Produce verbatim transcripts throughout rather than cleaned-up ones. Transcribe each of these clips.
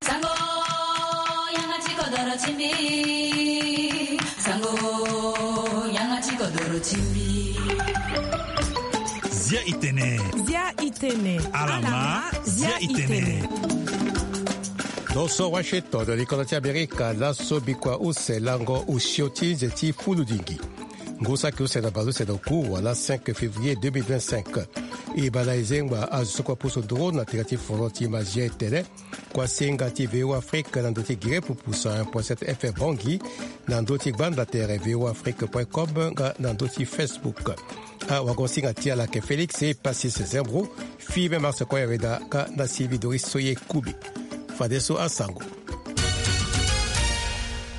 Sango, yanga ti kodoro ti mbi. Sango, yanga ti kodoro ti mbi. Zia itene. Zia itene. Alama, zia itene. Lo so Washington, likolo ti Amerika, laso bikua use lango osio ti nze ti fuludingi. Ngu saki use na bale use na oku wala cinq février deux mille vingt-cinq. E bala e zengba azo so kue apusu nduru na tere ti foro ti mazia etene. Kuasinga ti V O Afrique na ndö ti gere pupusa un point sept F M Bangui, na ndö ti gbanda tere V O Afrique point com nga na ndö ti Facebook. Awagosinga ti ala ayeke Félix Pacis Zembro, fille me Marse Koyaweda ka na sivi Doris Soye Kubi. Fadeso asango.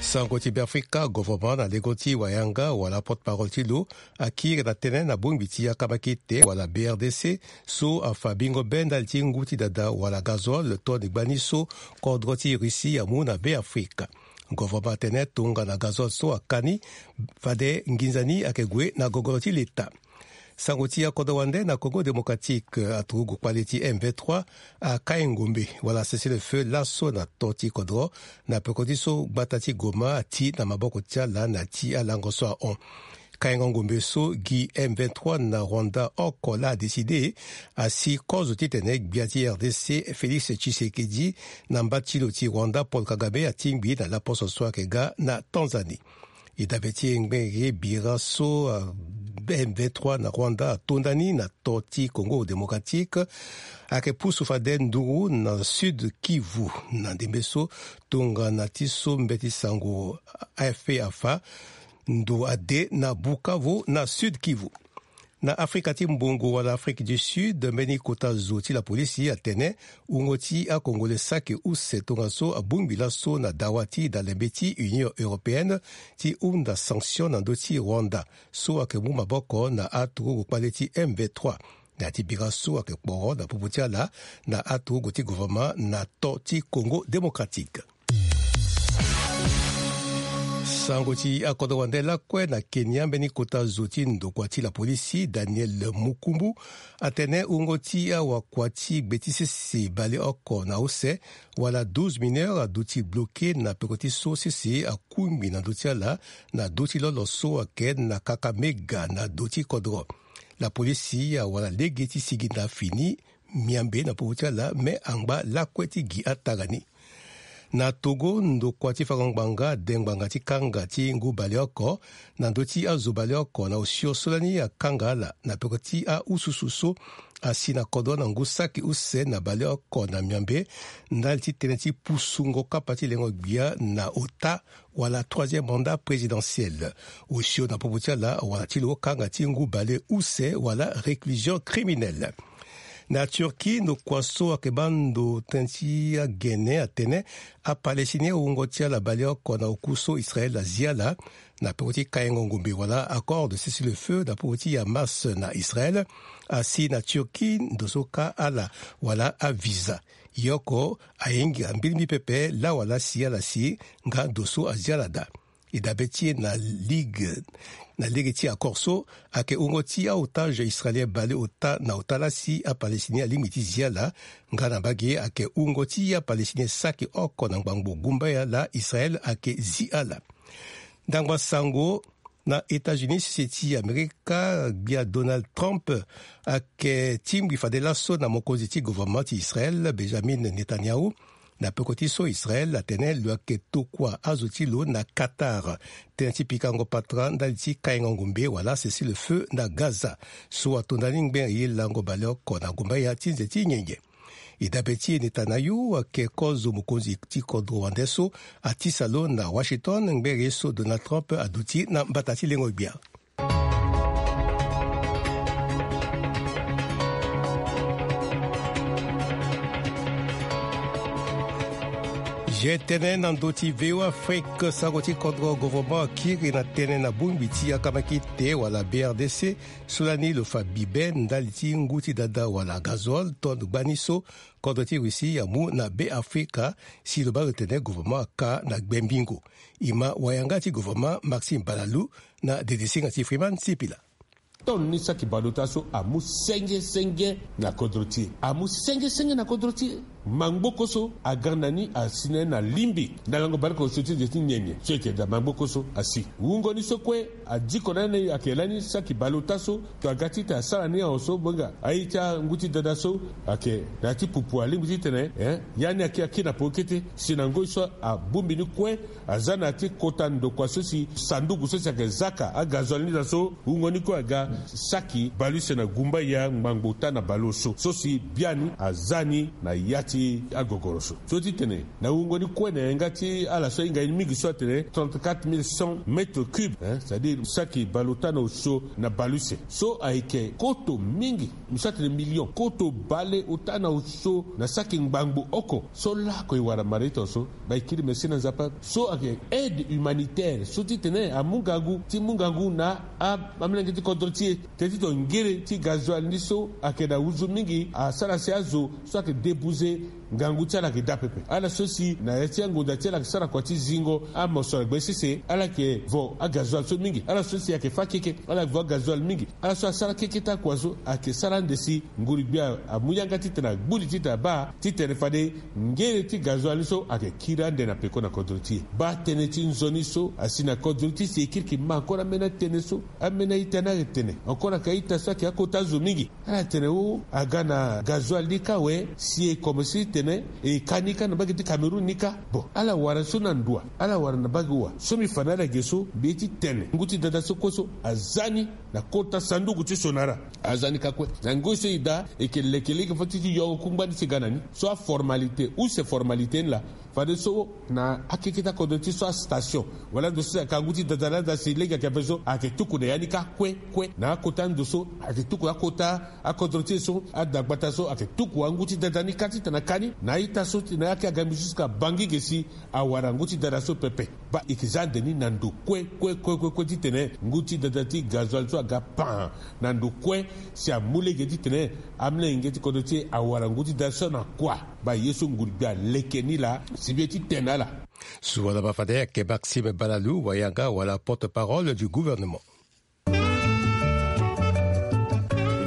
Sango ti Beafrika, governement na lengo ti wayanga wala porte-parole ti lo akiri na tënë na bongbi ti akambaki te wala B R D C so afa bingo be ndali ti ngu ti dada wala gazole toni gbani so kodro ti Russie amu na Beafrika. Governement atene tongana gazole so aka ni, fade nginza ni ayeke gue na gogoro ti leta. Sango ti akodro wande na Congo Démocratique, aturugu kpale ti M vingt-trois akai ngombe wala cessez-le-feu laso na to ti kodro na peko ti so gbata ti Goma ati na maboko ti ala na ti alango so ahon. Kaingo ngombe so gi M vingt-trois na Rwanda oko laa adécidé asi kozo titene gbia ti R D C Félix Tshisekedi na mba ti lo ti Rwanda Paul Kagame atingbi na laposo so ayeke ga na Tanzanie. E dabe ti e ngbenge bira so, ah, M vingt-trois na Rwanda atonda ni na to ti Congo Démocratique, ayeke pusu fade nduru na Sud Kivu. Na ndembe so tongana ti so mbeti sango A F P afa, ndo ade na Bukavu na Sud Kivu. Na Afrika ti mbongo wala Afrique du Sud, mbeni kota zo ti lapolisi atene wungo ti akongole saki use tongaso abongbi laso na dawa ti dalembe ti Union Européenne ti hunda sanction na ndö ti Rwanda so ayeke mu maboko na aturugu kpale ti M vingt-trois. Na ya ti bira so ayeke kporo na popo ti ala na aturugu ti gouvernement na to ti Congo Démocratique. Sango ti akodro wande lakue na Kenya, mbeni kota zo ti ndokua ti lapolisi Daniel Mukumbu atene wungo ti awakua ti gbe ti sese baleoko na use wala douze mineurs aduti bloqué na peko ti so sese akungbi na ndö ti ala na do ti lolo so ayeke na Kakamega na do ti kodro. Lapolisi awara lege ti sigi na fini miambe na popo ti ala me angba lakue ti gi atara ni. Na Togo, ndokua ti fango ngbanga ade ngbanga ti kanga ti ngu baleoko na ndö ti azo baleoko na osio so lani akanga ala na peko ti aususu so asi na kodro na ngu saki use na baleoko na miambe ndali ti tënë ti pusungo kapa ti lengo gbia na ota wala troisième mandat présidentiel. Osio na popo ti ala wala ti lo kanga ti ngu baleuse wala réclusion criminelle. Na Turquie, ndokua so ayeke baa ndo tënë ti agene atene aPalestinien wungo ti ala baleoko na oku so Israël azi ala na peko ti kaingo ngombe wala accord de cessez-le-feu na popo ti Hamas na Israël asi na Turquie ndo so ka ala wala avisa. Ye oko ahinga mbirimbiri pepe laa wala si ala si nga ndo so azi ala daa. E dabe ti e na ligue, na lege ti accord so ayeke wungo ti aotage israélien baleota na ota laa si aPalestinien alingbi ti zi ala. Nga na mbage ayeke wungo ti aPalestinien saki oko na ngbangbo gumbaya laa Israël ayeke zi ala. Ndangba sango, na États-Unis, sese ti Amerika, gbia Donald Trump ayeke tingbi fade laso na mokonzi ti gouvernement ti Israël, Benjamin Netanyahu, na peko ti so Israël atene lo yeke tokua azo ti lo na Qatar tënë ti pikango patara ndali ti kaingo ngombe wala cessez-le-feu na Gaza so atonda ni ngbene ye lango baleoko na gumbaya ti nze ti nyenye. E dabe ti e Netanyahu ayeke kozo mokonzi ti kodro wande so atisa lo na Washington ngbene ye so Donald Trump aduti na mbata ti lengo gbia. Ye tënë na ndö ti V O A Afrique, sango ti kodro gouvernement akiri na tënë na bongbi ti akambaki te wala B R D C so lani lo fa bibe ndali ti ngu ti dada wala gazole tonne gbani so kodro ti Russie amu na Beafrika, si lo baa lo tene gouvernement aka na gbengbingo. E ma wayanga ti gouvernement Maxime Balalou na dedesinga ti Freeman Sipila. Tonne ni saki baleota so amu senge senge na kodro ti e. Amu senge senge na kodro ti e. Mangboko so aga na ni asi na ye na lingbi na lango baleoko soti nze ti nyenye so eke daa mangboko so asi. Wungo ni so kue adiko na ni ayeke lani saki baleota so. To aga ti tene asara ni aho so bonga aye ti angu ti dada so ayeke na ya ti pupu alingbi ti tene eh, ya ni aki aki na peko kete si na ngoi so abongbi ni kue. Aza na ya ti kota ndokua so si sanduku so si ayeke zaka agazoil ni daa so wungo ni kue aga saki baleuse na gumba ya ngbangbo ota na baleuse so si biani aza ni na ya ti agogoro so so ti tene na wungo ni kue na yanga ti ala so ahinga ye ni mingi so atene trente-quatre mille cent mètres cubes, c'est-à-dire saki baleota na osio na baleuse so ayeke koto mingi. Mo so atene million koto baleota na osio na saki ngbangbo oko so lako e wara mara ita so. Ba e kiri merci na nzapa so ayeke aide humanitaire so ti tene amu ngangu ti mu ngangu na amolenge ti kodro ti e. Teti to ngere ti gazoil ni so ayeke na uzu mingi asara si azo so ayeke debuze ngangu ti ala ayeke daa pepe ala so si na ya ti angonda ti ala ayeke sara kua ti zingo amosoro gbe sese ala yeke vo agazoil so mingi ala so si ayeke fâ keke ala yeke vo agazoil mingi. Ala so asara keke ti akua so ayeke sara ande si nguru-gbia amu yanga titene agbu li titene abaa titene fade ngere ti gazoil ni so ayeke kiri ande na peko na kodro ti e. Baa tënë ti nzoni so asi na kodro ti e si e kiri ki ma encore ambeni atënë so ambeni a-ita ni ayeke tene encore ayeke a-ita so ayeke akota zo mingi. Ala tene o aga na gazoil ni kâ awe si e komense ti tene e ka ni kâ na mbage ti Cameroun ni kâ. Bon ala wara so na ndo wa ala wara na mbage wa so mbi fa na ala ge so mbi ye ti tene ngu ti dada so kue so aza ni na kota sanduku ti sonara. Aza ni kâ kue na ngoi so e daa e yeke leke lege fo ti ti yongo kungba ni ti ga na ni so aformalité use formalité ni laa. Fadeso na akeke ti akodro ti so astation wala ndo so si aka ngu ti dada ni ada si lege ayeke ape so ayeke tuku na ya ni kâ kue kue na akota ndo so ayeke tuku akota akodro ti e so adagbata so ayeke tuku angu ti dada ni kâ titene aka ni na a-ita so ti na yaki aga mbi so si ka bangi ge si awara ngu ti dada so pepe. Baa e yeke za ande ni na ndo kue kue kue kue titene ngu ti dada ti gazoil so aga pan na ndo kue si amu lege titene amolenge ti kodro ti e awara ngu ti dada so na kua. Baa ye so nguru-gbia aleke ni laa si mbi ye ti tene na ala. Suala baa fade ayeke Maxime Balalou wayanga wala porte-parole du gouvernement. E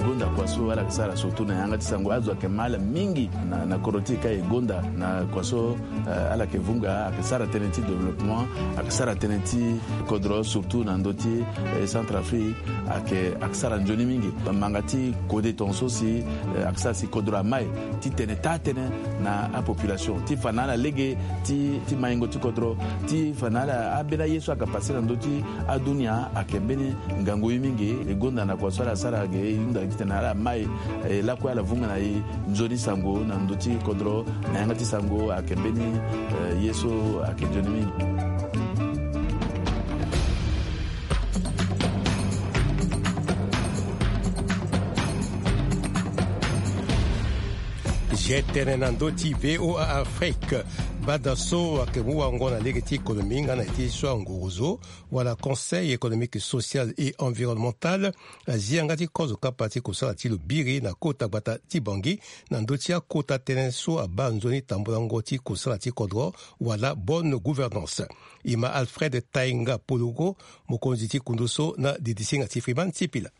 gonda kua so ala yeke sara surtout na yanga ti sango azo ayeke ma ala mingi na, na kodro ti e ka e gonda na kua so, eh, ala yeke vunga ayeke sara tënë ti développement ayeke sara tënë ti kodro surtout na ndö ti, eh, Centrafrique. Ayeke ayeke sara nzoni mingi. Manga ti kode tongaso si, eh, ayeke sara si kodro amai ti tene taa tënë na apopulation ti fa na ala lege ti, ti maingo ti kodro ti fa na ala ambeni aye so ayeke pase na ndö ti adunia ayeke mbeni ngangu ye mingi. E gonda na kua so ala sara ge e hunda titene ala mai, eh, lakue ala vunga na e nzoni sango na ndö ti kodro na yanga ti sango ayeke mbeni, eh, ye so ayeke nzoni mingi. Zi tënë na ndö ti VOA Afrique. Bada so ayeke mu wango na lege ti économie nga na ete so angorozo wala Conseil économique, social et environnemental azi yanga ti kozo kapa ti kosala ti lo biri na kota gbata ti Bangui na ndö ti akota tënë so abaa nzoni tambolango ti kosala ti kodro wala bonne gouvernance. E ma Alfred Tainga Pologo, mokonzi ti kundu so na didisinga ti Freeman Sipila.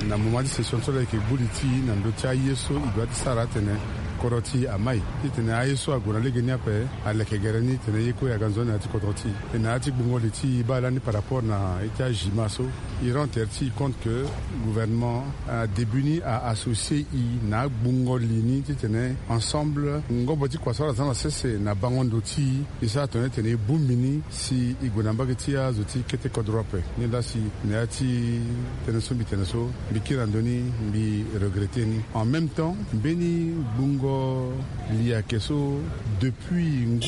Na moment ti session so ala yeke gbu li ti e na ndö ti aye so e doit ti sara atene kodro ti e amai titene aye so ague na lege ni ape aleke gere ni titene ye kue aga nzoni na ya ti kodro ti e. E na ya ti gbungo li ti e baa lani par rapport na ye ti ajima so, e rend tere ti e compte que gouvernement, ah, début ni a associé e na agbungo li ni titene ensemble ngombo ti kua so ala za na sese na bango ndo ti e, e sara tongana titene e bongbi ni si e gue na mbage ti azo ti kete kodro ape. Ni laa si na ya ti tënë so mbi tene so mbi kiri na ndö ni, mbi regretter ni. En même temps mbeni gbungo li ayeke so depuis ngu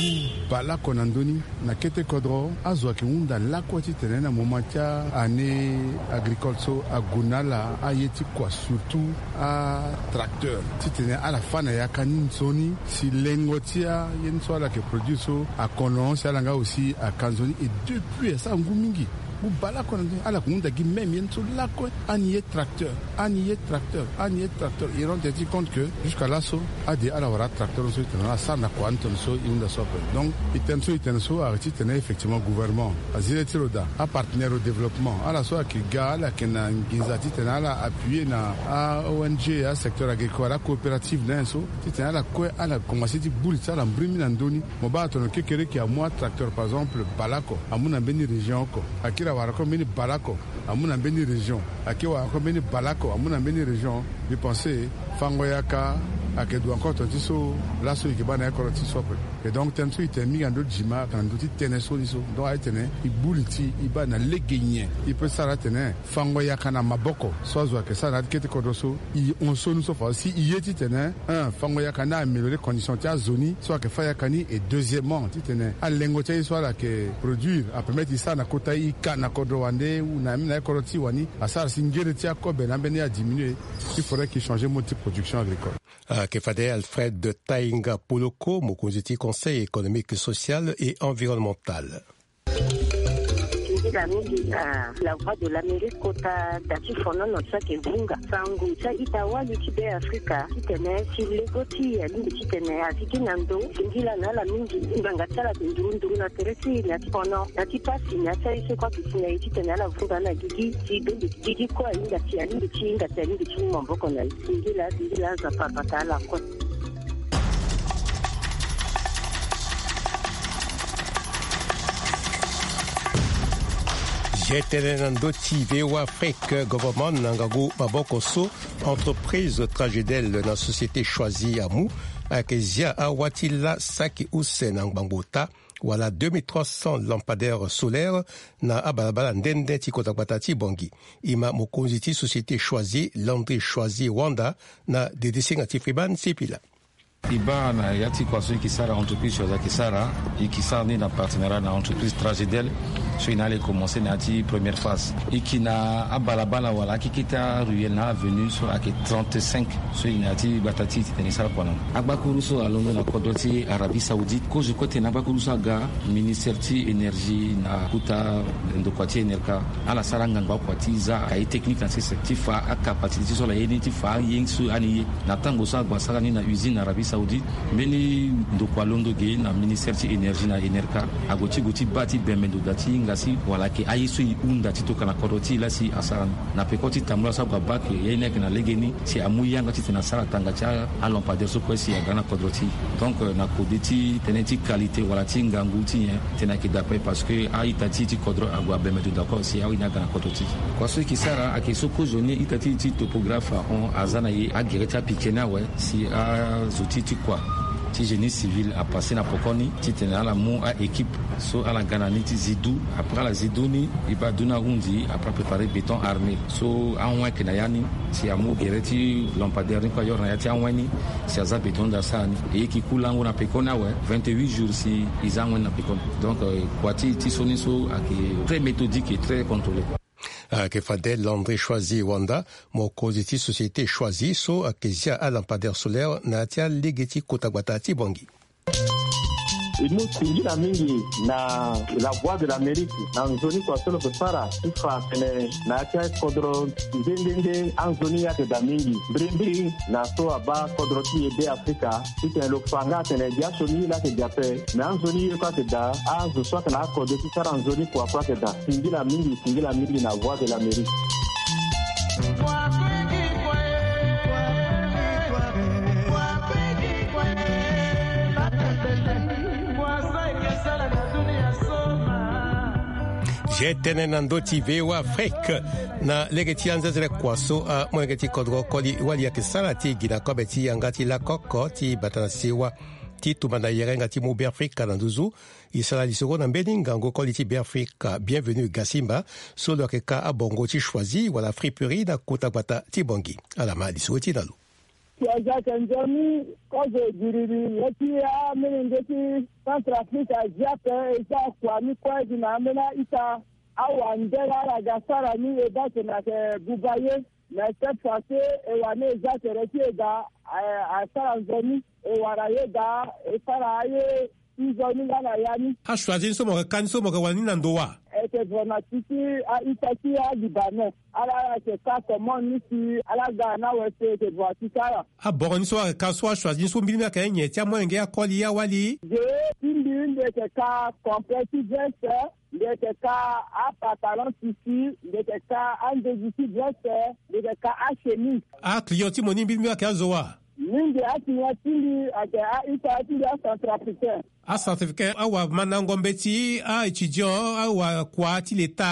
baleoko na ndö ni na kete kodro azo ayeke hunda lakue titene na moment ti a-année agricole so ague na ala aye ti kua surtout atracteur titene ala fâ na yaka ni nzoni si lengo ti aye ni so ala yeke produire so akono si ala nga aussi aka nzoni. Et depuis asara ngu mingi Bala kue na ndö ni ala yeke hunda gi même ye ni so lakue. Ani ye tracteur, ani ye tracteur, ani ye tracteur. I rend ti compte que jusqu'à laso ade ala wara tracteur ni so ti tene ala sara na kua ni tene so i hunda so ape. Donc i tene so i tene so ayeke ti tene effectivement gouvernement, azi le ti lo daa, apartenaire au développement, ala so ayeke ga ala yeke na nginza ti tene ala appuyer na a-ong, asecteur agricole, acoopérative na ye so ti tene ala kue ala commencer ti buli ti ala mbrimi na ndö ni. Mo baa atene kekereke amu atracteur par exemple bale oko, amu na mbeni région oko, akiri awara kue mbeni bale oko, amu na mbeni région, akiri awara kue mbeni bale oko, amu na mbeni région. Mbi pense fango yaka ayeke du encore tongana ti so laso e yeke baa na ye kodro ti so ape. Et donc tënë so e tene mingi na ndö ti gima ayeke na ndö ti tënë so ni so. Donc aye tene e buli ti e baa na lege nyen e peut sara atene fango yaka na maboko so azo ayeke sara na ya ti kete kodro so. E hon so ni so fa si e ye ti tene un fango yaka ni a-améliorer condition ti azo ni so ayeke fâ yaka ni. Et deuxièmement ti tene alengo ti aye so ala yeke produire apermettre e sara na kota e ka na kodro wande ou na même na ye kodro ti e wani asara si ngere ti akobe na ambeni adiminuer. Il faudrait qu'il change mode ti production agricole. Ayeke fade Alfred Tainga Poloko, mokonzi ti Conseil économique, social et environnemental. Singila mingi na La Voix de l'Amérique kota da ti fonono ti ayeke vunga sango ti a-ita wali ti Be Afrika titene si lego ti e alingbi titene azi gi na ndo. Singila na ala mingi ngbanga ti ala ayeke nduru nduru na tere ti e na ya ti fono na ya ti pasi na ya ti aye so kue ayeke si na e titene ala vunga na gigi si dongi gigi kue ahinga si alingbi ti hinga si alingbi ti mu maboko na e. Singila singila Nzapa abata ala kue. Ge tënë na ndö ti V O A Afrique, gouvernement na ngangu maboko so entreprise Tragedel na société Choisie amu ayeke zia awa ti la saki use na ngbangbo ota wala deux mille trois cents lampadaires solaires na abalabala nde nde ti kota gbata ti Bangui. E ma mokonzi ti société Choisie, Landry Choisie Wanda, na dedisinga ti Freeman Sipila. E baa na ya ti kua so e yeke sara, entreprise Choisie ayeke sara, e yeke sara ni na partenariat na entreprise Tragedel. So e na ala e commencer na ya ti première phase. E yeke na abalabala wala akeke ti aruelle na avenue so ayeke trente-cinq. So e na ya ti gbata ti e titene e sara kua na ni. Agbakuru so alondo na kodro ti Arabie Saoudite kozo kue tene agbakuru so aga ministère ti énergie na kota ndokua ti Enerca. Ala sara ngangu akua ti za aye technique na sese ti fa acapacité ti so ala ye ni ti fa aye so ani ye. Na tango so ague asara ni na usine na Arabie Saoudite, mbeni ndokua alondo ge na ministère ti énergie na Enerca ague ti gue ti baa ti bembe ndo daa ti hinga si wala ayeke aye so e hunda ti tokua na kodro ti e laa si asara ni. Na peko ti tambula so ague abaa ke ye ni ayeke na legeni si amu yanga titene asara tanga ti alampadaire so kue si aga na kodro ti e. Donc na kode ti tënë ti qualité wala ti ngangu ti nyen titene ayeke daa kue parce que a-ita ti e ti kodro ague abembe ndo daa kue si aye ni aga na kodro ti e. Kua so e yeke sara ayeke so kozoni ita ti e ti topographe ahon aza na e agere ti apike ni awe si azo ti e ti kua ti génie civil apasse na pokoni titene ala mu a-équipe so ala ga na ni ti zi du. Après ala zi du ni e baa du ni ahundi après apréparer béton armé so ahon ayeke na ya ni si amu gere ti lampadaire ni kue ayore na ya ti ahon ni si aza béton daa sara ni. E yeke ku lango na pekoni awe vingt-huit jours si e za ahon ni na pekoni. Donc kua ti e ti so ni so ayeke très méthodique et très contrôlé. Ayeke fade Landry Choisie Wanda, mokonzi ti société Choisie so ayeke zia alampadaire solaire na ya ti alege ti kota gbata ti Bangui. E mu singila mingi na La Voix de l'Amérique na nzoni kua so lo yeke sara ti fa atene na ya ti akodro nde nde nde anzoni ye ayeke daa mingi mbirimbiri na so abaa kodro ti e Be Afrika titene lo fa nga atene gi asioni ye laa ayeke daa ape. Me anzoni ye kue ayeke daa, azo so ayeke na akode ti sara nzoni kua kue ayeke daa. Singila mingi, singila mingi na Voix de l'Amérique. Ge tënë na ndö ti V O A Afrique na lege ti anzenzele kua so amolenge ti kodro koli wali ayeke sara ti gi na kobe ti yanga ti lakoko ti bata na sewa ti tumba na yerenga ti mu Beafrika na nduzu. E sara lisoro na mbeni ngangu koli ti Beafrika Bienvenu Gasimba so lo yeke ka abongo ti Choisie wala friperie na kota gbata ti Bangui. Ala ma lisoro ti e na lo. Si aza ayeke nzoni kozo giriri ye ti amolenge ti Centrafrique azi ape. E za kua ni kue gi na ambeni a-ita awande laa ala ga sara ni e baa tene ayeke buba ye. Mais cette fois ci e wani e za tere ti e daa, eh, asara nzoni e wara ye daa e sara aye. ti nzoni nga na ya ni. Achoisi ni so mo yeke ka ni so mo yeke wara ni na ndo wa? E yeke voro na ti ti a-ita ti alibanais. Ala ala yeke ka commande ni si ala ga na awe so e yeke voro ti ti ala. Aboro ni so ayeke ka so achoisi ni so mbirimbi ayeke nyen ti amolenge akoli awali? Ge ti mbi mbi yeke ka complet ti veste. Mbi yeke ka apantalon tissu. Mbi yeke ka andezi ti veste. Mbi yeke ka achemise. Aclient ti mo ni mbirimbi ayeke azo wa? Mingi aclient ti mbi ayeke a-ita ti mbi acentrafricain. Acentrafricain awamandango mbeti a-étudiant awakua ti leta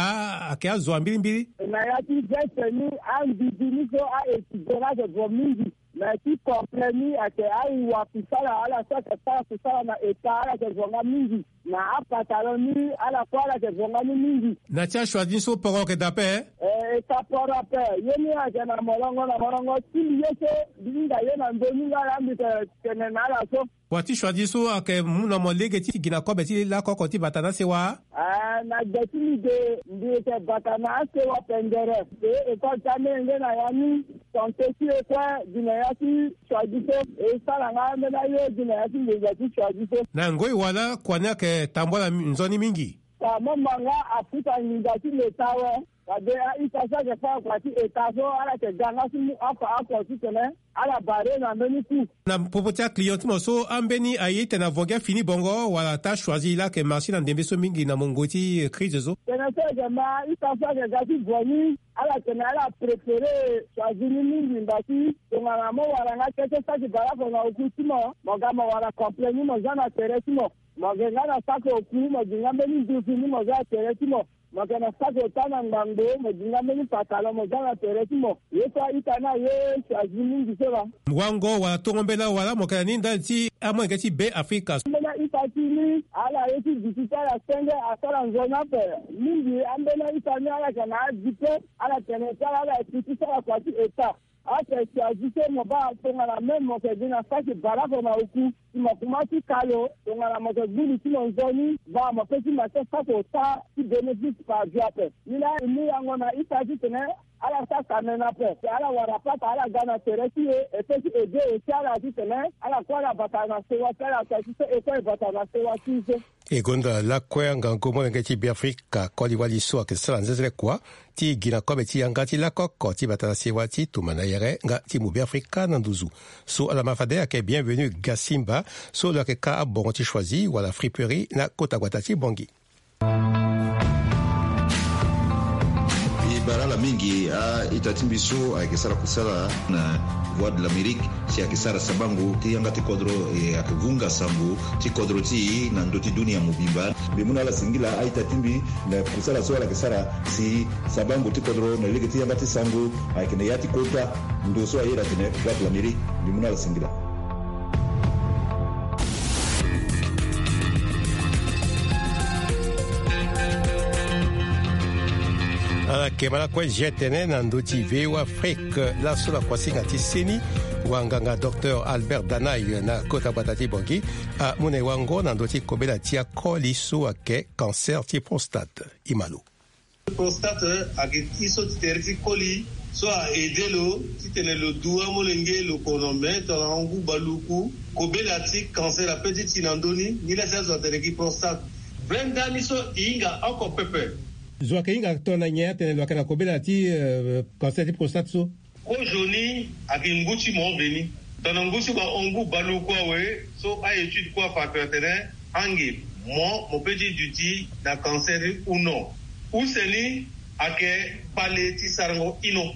ayeke azo wa mbirimbiri. Na ya ti veste ni, andudu ni so a-étudiant ni ayeke voro mingi. Na ya ti complet ni ayeke awa kusala, ala so ayeke sara kusala na état ala yeke voro nga mingi. Na apantalon ni ala kue ala yeke voro nga ni mingi. Na ti achoisi ni so poro ayeke daa ape? Eh, e ka poro ape. Ye ni ayeke na molongo na molongo ti mbi ye so mbi hinga ye na ndö ni nga laa mbi yeke tene na ala so. Wa ti choisi so ayeke mu na mo lege ti gi na kobe ti lakoko ti bata na asewa? Ah, na gbe ti mbi ge mbi yeke bata na asewa pendere. E école ti amolenge na ya ni, santé ti e kue gi na ya ti choisi so. E sara nga ambeni aye gi na ya ti nginza ti choisi so. Na ngoi wala kua ni ayeke tambula nzoni mingi? Ka mo ma nga afuta nginza ti leta awe. Fade a-ita so ayeke fâ kua ti état so ala yeke ga nga ti mu afa oko titene ala barre na mbeni coût. Na popo ti aclient ti mo so ambeni aye titene avo gi afini bongo wala ata choisi laa ayeke marché na ndembe so mingi na mungo ti crise so? Tene so e yeke ma a-ita so ayeke ga ti vo ni, ala tene ala préféré choisi ni mingi mba ti tongana mo wara nga kete saki baleoko na oku ti mo, mo ga mo wara complet ni mo za na tere ti mo. Mo yeke nga na saki oku, mo gi nga mbeni nduzu ni mo za na tere ti mo. Mo yeke na saki ota na ngbangbo, mo gi nga mbeni pantalon mo za na tere ti mo. Ye so a-ita ni aye choisi mingi so laa. Wango wala tongo mbela wala mo yeke na ni ndali ti amolenge ti Be Afrika? Ambeni a-ita ti ni ala ye ti duti ti ala senge asara nzoni ape. Mingi ambeni a-ita ni ala yeke na adipe, ala tene ti ala ala yeke ti sara kua ti état. Ape choisi so mo baa tongana même mo yeke gi na saki baleoko na oku, si mo kuma ti kalo tongana mo yeke gbu li ti mo nzoni, baa mo pe ti ma ti saki ota ti bénéfice par vie ape. Ni laa e mu yango na ita titene ala sara tene na ape. Si ala wara pata ala ga na tere ti e, e pe ti aidé aussi ala titene ala kue ala bata na sewa ti ala, si so e kue e bata na sewa ti e so. E gonda lakue angangu molenge ti Beafrika koli wali so ayeke sara nzenzele kua ti gi na kobe ti yanga ti lakoko ti bata na sewa ti tuma na yere nga ti mu Beafrika na nduzu. So ala ma fade ayeke Bienvenu Gasimba so lo yeke ka abongo ti choisi wala friperie na kota gbata ti Bangui. E bara ala mingi a-ita ti mbi so ayeke sara kusala na Voix de l'Amérique, si ayeke sara sabango ti yanga ti kodro, e ayeke vunga sango ti kodro ti e na ndö ti dunia mobimba. Mbi mu na ala singila a-ita ti mbi na kusala so ala yeke sara si sabango ti kodro na lege ti yanga ti sango ayeke na ya ti kota ndo so aye atene Voix de l'Amérique. Mbi mu na ala singila. Ala yeke ma lakue zia tene na ndö ti V O A Afrique, laso na kuasinga ti seni, wanganga docteur Albert Danay na kota gbata ti Bangui amu na e wango na ndö ti kobela ti akoli so ayeke cancer ti prostate. E ma lo. Prostate ayeke ti so ti tere ti koli so a aidé lo titene lo du amolenge lo kono me tongana ngu baluku. Kobela ti cancer ape ti ti na ndö ni, nilaa si azo atene gi prostate. Vrai ndani so e hinga oko pepe. Zo ayeke hinga tongana nyen atene lo yeke na kobela ti, euh, cancer ti prostate so? Kozo ni ayeke ngu ti mo veni. Tongana ngu ti mo ahon ngu baluku awe, so a-étude kue afa ape atene ange mo, mo pe ti duti na cancer ou non. Use ni ayeke kpale ti sarango ino.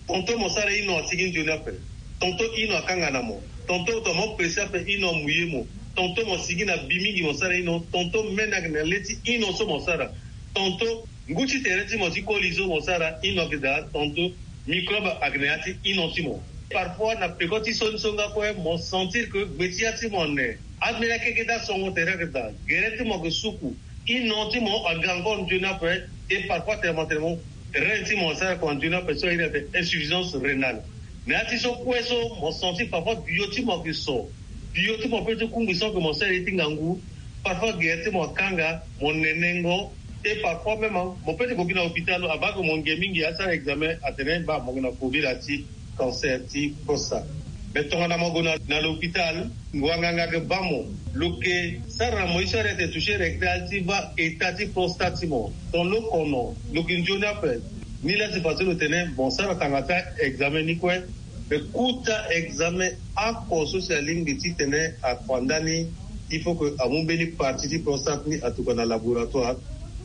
Tonton mo sara ino asigi nzoni ape. Tonton ino akanga na mo. Tonton tongana mo pese ape ino amu ye mo. Tonton mo sigi na bi mingi mo sara ino. Tonton mene ayeke na le ti ino so mo sara. Tonton ngu ti tere ti mo ti koli so mo sara ino ayeke daa. Tonton microbe ayeke na ya ti ino ti mo. Parfois na peko ti so ni so nga kue mo sentir que gbe ti ya ti mo ane. Ambeni akeke ti asongo tere ayeke daa. Gere ti mo ayeke suku. Ino ti mo aga encore nzoni ape. Et parfois tene mo tene mo rein ti mo asara kua nzoni ape so airi atene insuffisance rénale. Na ya ti so kue so mo sentir parfois bio ti mo ayeke so. Bio ti mo pe ti kungbi sans que mo sara ye ti ngangu. Parfois gere ti mo akanga, mo nenengo. Et parfois même mo pe ti gue gi na hôpital, abaa ke mo nge mingi asara examen atene baa mo yeke na kobela ti cancer ti prostate. Mais tongana mo gue na l'hôpital, wanganga ayeke baa mo. Lo yeke sara na mo ye so arete toucher rectal ti baa état ti prostate ti mo. Ton lo kono lo yeke nzoni ape. Ni laa si façon lo tene mo sara tanga ti examen ni kue. Mais kota examen oko so si alingbi titene afa ndani, il faut que amu mbeni partie ti prostate ni atuka na laboratoire.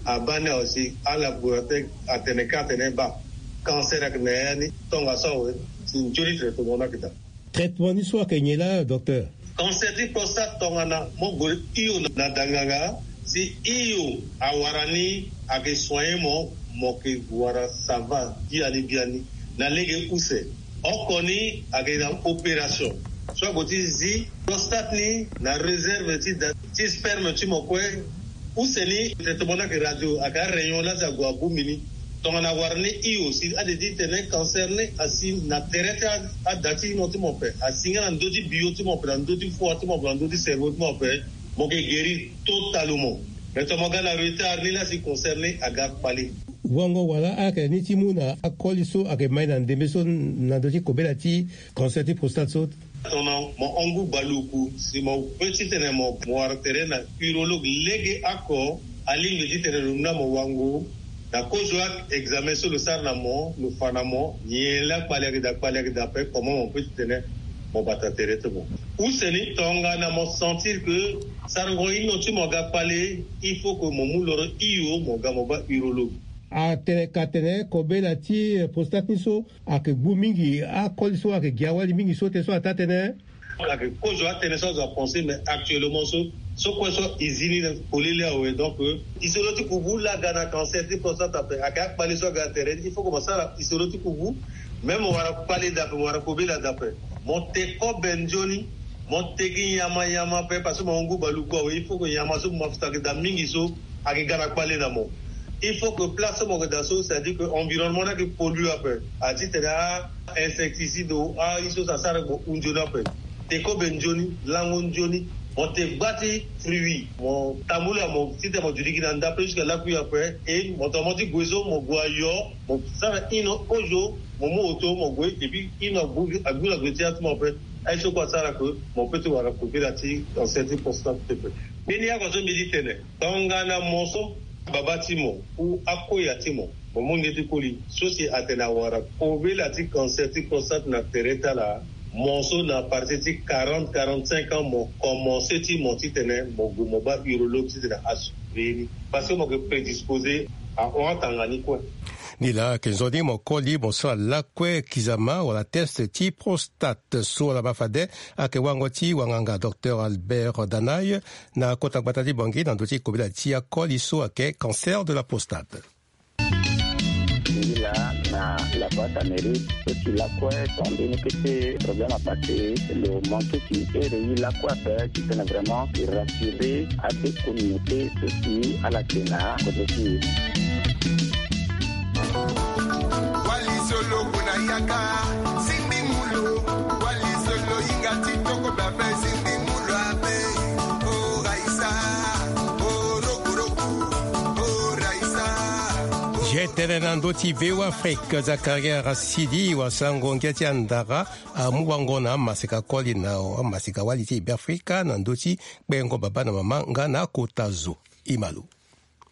Abaa ni awe si alaboratoire atene ka atene baa cancer ayeke na ya ni. Tongaso awe si nzoni traitement ni ayeke daa. Traitement ni so ayeke nyen laa docteur? Cancer ti prostate tongana mo gue hio na danganga, si hio awara ni ayeke soigner mo, mo yeke wara ça va biani biani na lege use. Oko ni ayeke na opération so ague ti zi prostate ni na réserve ti da ti sperme ti mo kue. Use ni traitement ni ayeke radio, ayeke arayon laa si ague abongbi ni. Tongana awara ni hio si ade ti tene cancer ni asi na tere ti ada ti ino ti mo ape, asi nga na ndö ti bio ti mo ape, na ndö ti foi ti mo ape, na ndö ti cerveau ti mo ape, mo yeke guéri totalement. Mais tongana mo ga na retard ni laa si cancer ni aga kpale. Wango wala ayeke ni ti mu na akoli so ayeke ma e na ndembe so na ndö ti kobela ti cancer ti prostate so? Tongana mo hon ngu baluku si mo pe titene mo wara tere na urologue lege oko, alingbi titene lo mu na mo wango na kozo a examen so lo sara na mo, lo fa na mo nyen laa kpale ayeke daa, kpale ayeke daa ape, comment mo pe titene mo bata tere ti mo. Use ni tongana mo sentir que sarango ino ti mo aga kpale, il faut que mo mu loro hio mo ga mo baa urologue. Atene ka tene kobela ti prostate ni so ayeke gbu mingi, akoli so ayeke gi awali mingi so tene so ataa tënë. Ayeke kozo atënë so azo apense, mais actuellement so, so kue so e zi ni na polele awe. Donc, euh, isolo ti kubu laa aga na cancer ti prostate ape, ayeke akpale so aga na tere ni, il faut que mo sara isolo ti kubu. Même mo wara kpale daa ape, mo wara kobela daa ape, mo te kobe nzoni. Mo te gi nyama nyama ape parce que mo hon ngu baluku awe, il faut que nyama so mo mafuta ayeke daa mingi so ayeke ga na kpale na mo. Il faut que place so mo yeke daa so, c'est-à-dire que environnement ni ayeke pollue ape. A titene a insecticide o a ye so so asara mo hu nzoni ape. Te kobe nzoni, lango nzoni. Mo te gba ti fruit, mo tambula mo titene mo duti gi na ndape jusqu'à lakui ape. E mo tongana mo ti gue so mo gue ayo, mo sara ino kozo, mo mu oto mo gue, et puis ino agbu, agbu na gue ti ya ti mo ape. Aye so kue asara ke mo pe ti wara kobela ti cancer ti prostate pepe. Mbeni yako so mbi ti tene, tongana mo so baba ti mo ou akoya ti mo, mo mu nge ti koli so si atene awara kobela ti cancer ti prostate na tere ti ala, mo so na partir ti quarante, quarante-cinq ans mo komanse ti mo titene mo gue mo baa urologue titene asuivre ni, parce que mo yeke prédisposé ahon atanga ni kue. Nilaa ayeke nzoni mo koli mo sara lakue kizama wala test ti prostate so wala mafade. Ayeke wango ti wanganga docteur Albert Danaye na kota gbata ti Bangui na ndö ti kobela ti akoli so ayeke cancer de la prostate. Nilaa na la boîte à mérite so ti lakue, ton mbeni kete problème apassé, lo manqué ti ere ye lakue ape titene vraiment e rassurer ade communauté so si ala yeke na kodro ti e. Wali solo kuna yaka, simbi mulu. Wali solo yinga ti toko babe, simbi mulu abe. O raisa, o rokuroku, o raisa. Ye tene na ndö ti V O Afrique, Zakaria Rasidi, wasango ngia ti andara, amu wango na amaseka koli na amaseka wali ti Beafrika na ndö ti kpengo baba na mama nga na akota zo. Imalo.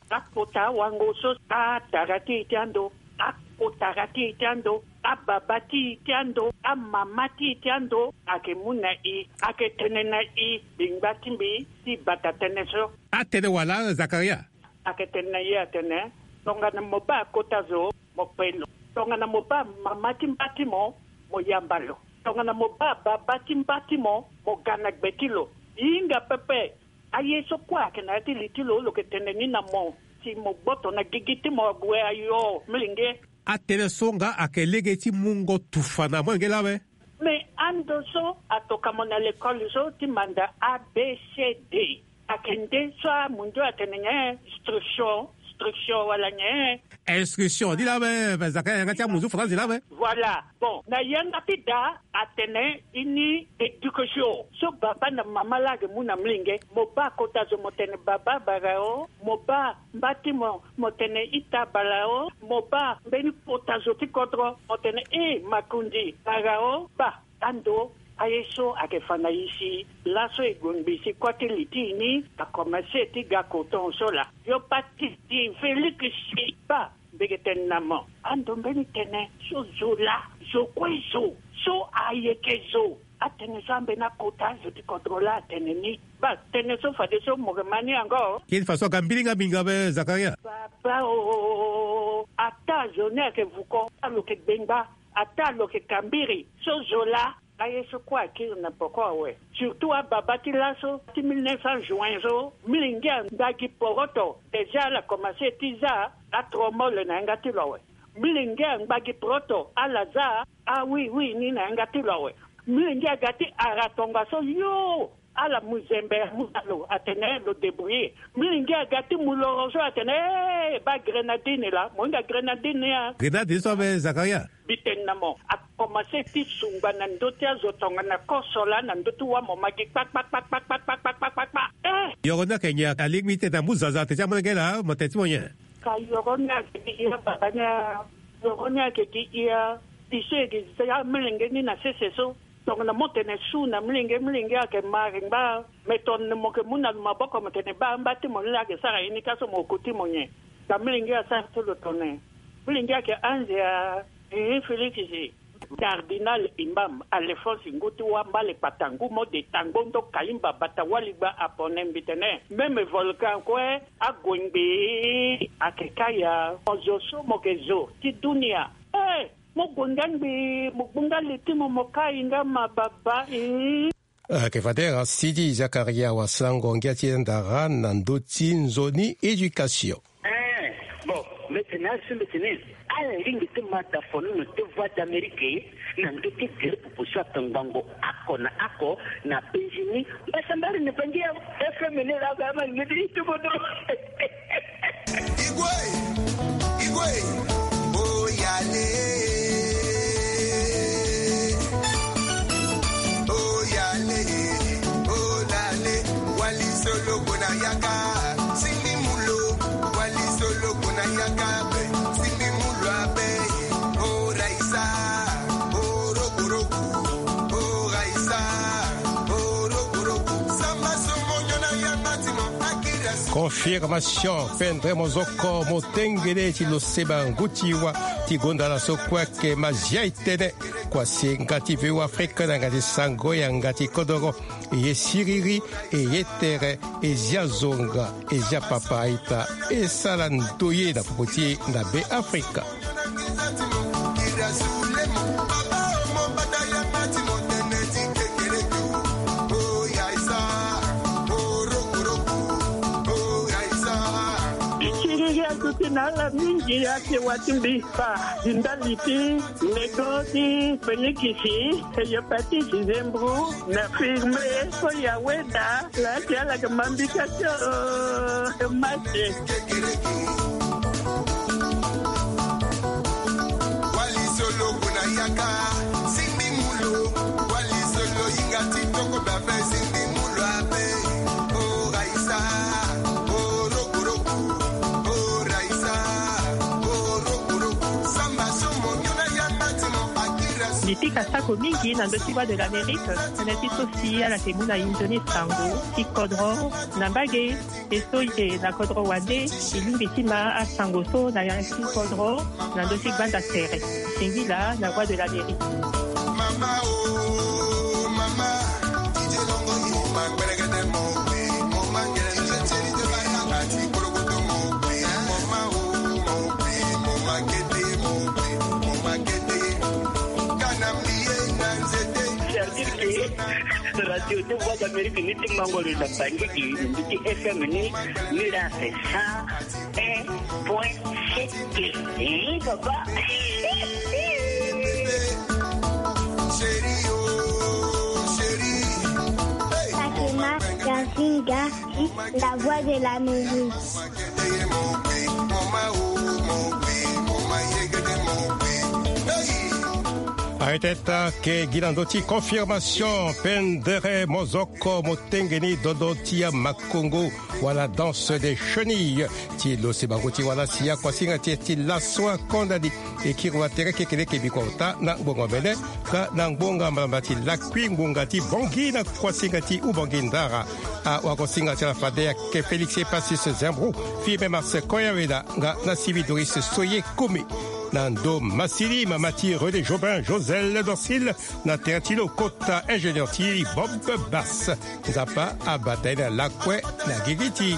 Akota wango so, atara ti e ti ando, akotara ti e ti ando, ababa ti e ti ando, amama ti e ti ando, ayeke mu na e, ayeke tene na e, bingba ti mbi ti bata tënë so. Atene wala Zakaria? Ayeke tene na e atene, tongana mo baa kota zo, mo kpe lo. Tongana mo baa mama ti mba ti mo, mo yamba lo. Tongana mo baa baba ti mba ti mo, mo ga na gbe ti lo. Hinga pepe. Aye so kue ayeke na ya ti li ti lo, lo yeke tene ni na mo si mo gboto na gigi ti mo ague ayo, molenge. Atënë so nga ayeke lege ti mungo tufa na molenge lawe. Me ando so atoka mo na lekole so ti manda A B C D. Ayeke nde so amundu atene nyen? Instruction, instruction wala nyen? Instruction ni lawe, Zakaria, yanga ti amunzu faranzi lawe. Voilà. Bon, na yanga ti da atene ini éducation so baba na mama laa ayeke mu na molenge. Mo baa kota zo mo tene baba bara o, mo baa mba ti mo mo tene ita bara o, mo baa mbeni kota zo ti kodro mo tene e makundi bara o. Baa ando Aye so ayeke fa na e si laso e gue ngbii si kua ti li ti e ni akomanse ti ga koton so laa. Yo pati ti Félix si baa. Mbege tene na mo. Ando mbeni tene so zo laa. Zo kue zo. So ayeke zo. Atënë so ambeni akota azo ti kodro laa atene ni. Baa, tënë so fadeso mo yeke ma ni yango. Kiri façon ka mbilinga minga be Zakaria. Baba o. Ataa zo ni ayeke vuko, ataa lo yeke gbengba, ataa lo yeke kambiri so zo laa. Aye so kue akiri na poko awe. Surtout ababa ti laso ti mille neuf cents juin so, milenge angba gi poroto. Déjà ala komanse ti za atromole na yanga ti lo awe. Milenge angba gi poroto ala za awiwi ni na yanga ti lo awe. Milenge aga ti ara tongaso yo. Ala mu zembe amu na lo atene lo débrouiller. Milenge aga ti mu loro so atene, eh, baa grenadine laa, mo hinga grenadine ni a. Grenadine so abe Zakaria. Mbi tene na mo, akomanse ti sungba na ndö ti azo tongana koso laa na ndö ti wâ mo ma gi kpakpakpakpakpakpakpakpakpakpakpa. Eh. Yoro ni ayeke nyen? Alingbi ti tene amu zaza atene ti amolenge laa mo tene ti mo nyen? Ka yoro ni ayeke gi ya baba ni a. Yoro ni ayeke gi ya. Biso e gi za amolenge ni na sese so. Tongana mo tene su na milenge, milenge ayeke ma ringba. Me tongana mo yeke mu na lo maboko mo tene baa mba ti mo ni laa ayeke sara ye ni ka so mo ko ti mo nyen? Ka milenge asara ti lo tongana milenge ayeke anze a. Ehe, Félix si. Cardinal Imam Alphonse ngu ti wâ mbale kpata ngu mo de tango ndo kaimba bata waligba apone mbi tene. Même volcan kue ague ngbii ayeke kaya. Mo zo so mo yeke zo ti dunia. Eh, mo gue nga ngbii mo gbu nga li ti mo mo kai nga ma baba. Ih. Ayeke fade ra Sidi Zakaria wasango ngia ti e ndara na ndö ti nzoni éducation. Eh, bon, mbi tene asu mbi tene ala lingbi ti ma dafonono ti Voix d'Amérique na ndö ti gere popo so ayeke ngbongo oko na oko na Benjini. Mbasambari na Bangi ya F M ni laa ba ma lingbi ti ti bodo. Igwe, igwe, oyale, oyale, olale, wali solo kona yaka, sindi mulo, wali solo kona yaka, be, sindi mulo abe, oraisa, orokoroku, oraisa, orokoroku, samba somo nyona yanga ti mo, akira. Confirmation, pendere mozoko, motengele ti lo seba ngu ti wa, ti gonda laso kue ayeke Mazia Etene, kua si e nga ti V O Afrique na yanga ti sango yanga ti kodoro, e ye siriri, e ye tere, e zia zonga, e zia papa aita, e sara ndoye na popo ti e na Be Afrika. Kiriri aduti na ala mingi ake wa ti mbi fa ndali ti lego ti Félix, e yo Patrice Zembro na firme so ya weda. Laa ti ala yeke ma mbi ka ti o, e ma ti. Wali solo kona yaka, sindi mulo. Wali solo yinga ti toko babe, sindi mulo abe. O raisa, o rokoroku, o raisa, o rokoroku. Samba somo nyona yanga ti mo akira. Mbi pika sako mingi na ndö ti Voix de l'Amérique, tënë ti so si ala yeke mu na inzo ni sango ti kodro na mbage. E so e yeke na kodro wande, e lingbi ti ma asango so na ya ti kodro na ndö ti gbanda tere. Singila na Voix de l'Amérique. Mama o, mama. C'est-à-dire que Radio de Voix d'Amérique ni ti mango lo na Bangui, ni ti F M ni, ni la c'est cent un point sept. Eh, papa. Fatima Kazinga, la voix de l'Amérique. Areteta ke gi na ndö ti confirmation pendere mozoko motengeni dodo ti ya makongo wala danse des chenilles. Ti lo si bango ti wala si ya kuasinga ti ti laso akondani. Ekiri wa tere kekeleke bikota na ngbonga mene ka na ngbonga malamba ti lakui ngbonga ti bongi na kuasinga ti ubongi ndara. Awakosinga ti ala fade ake félix epasis zembro fimbe marse koya weda nga na sivi doris soye kumi. Na ndo masili mama ti rené jobin josel dorsil na tere ti lo kota ingénieur ti bob bas. Nzapa abata ye na lakue na gigi ti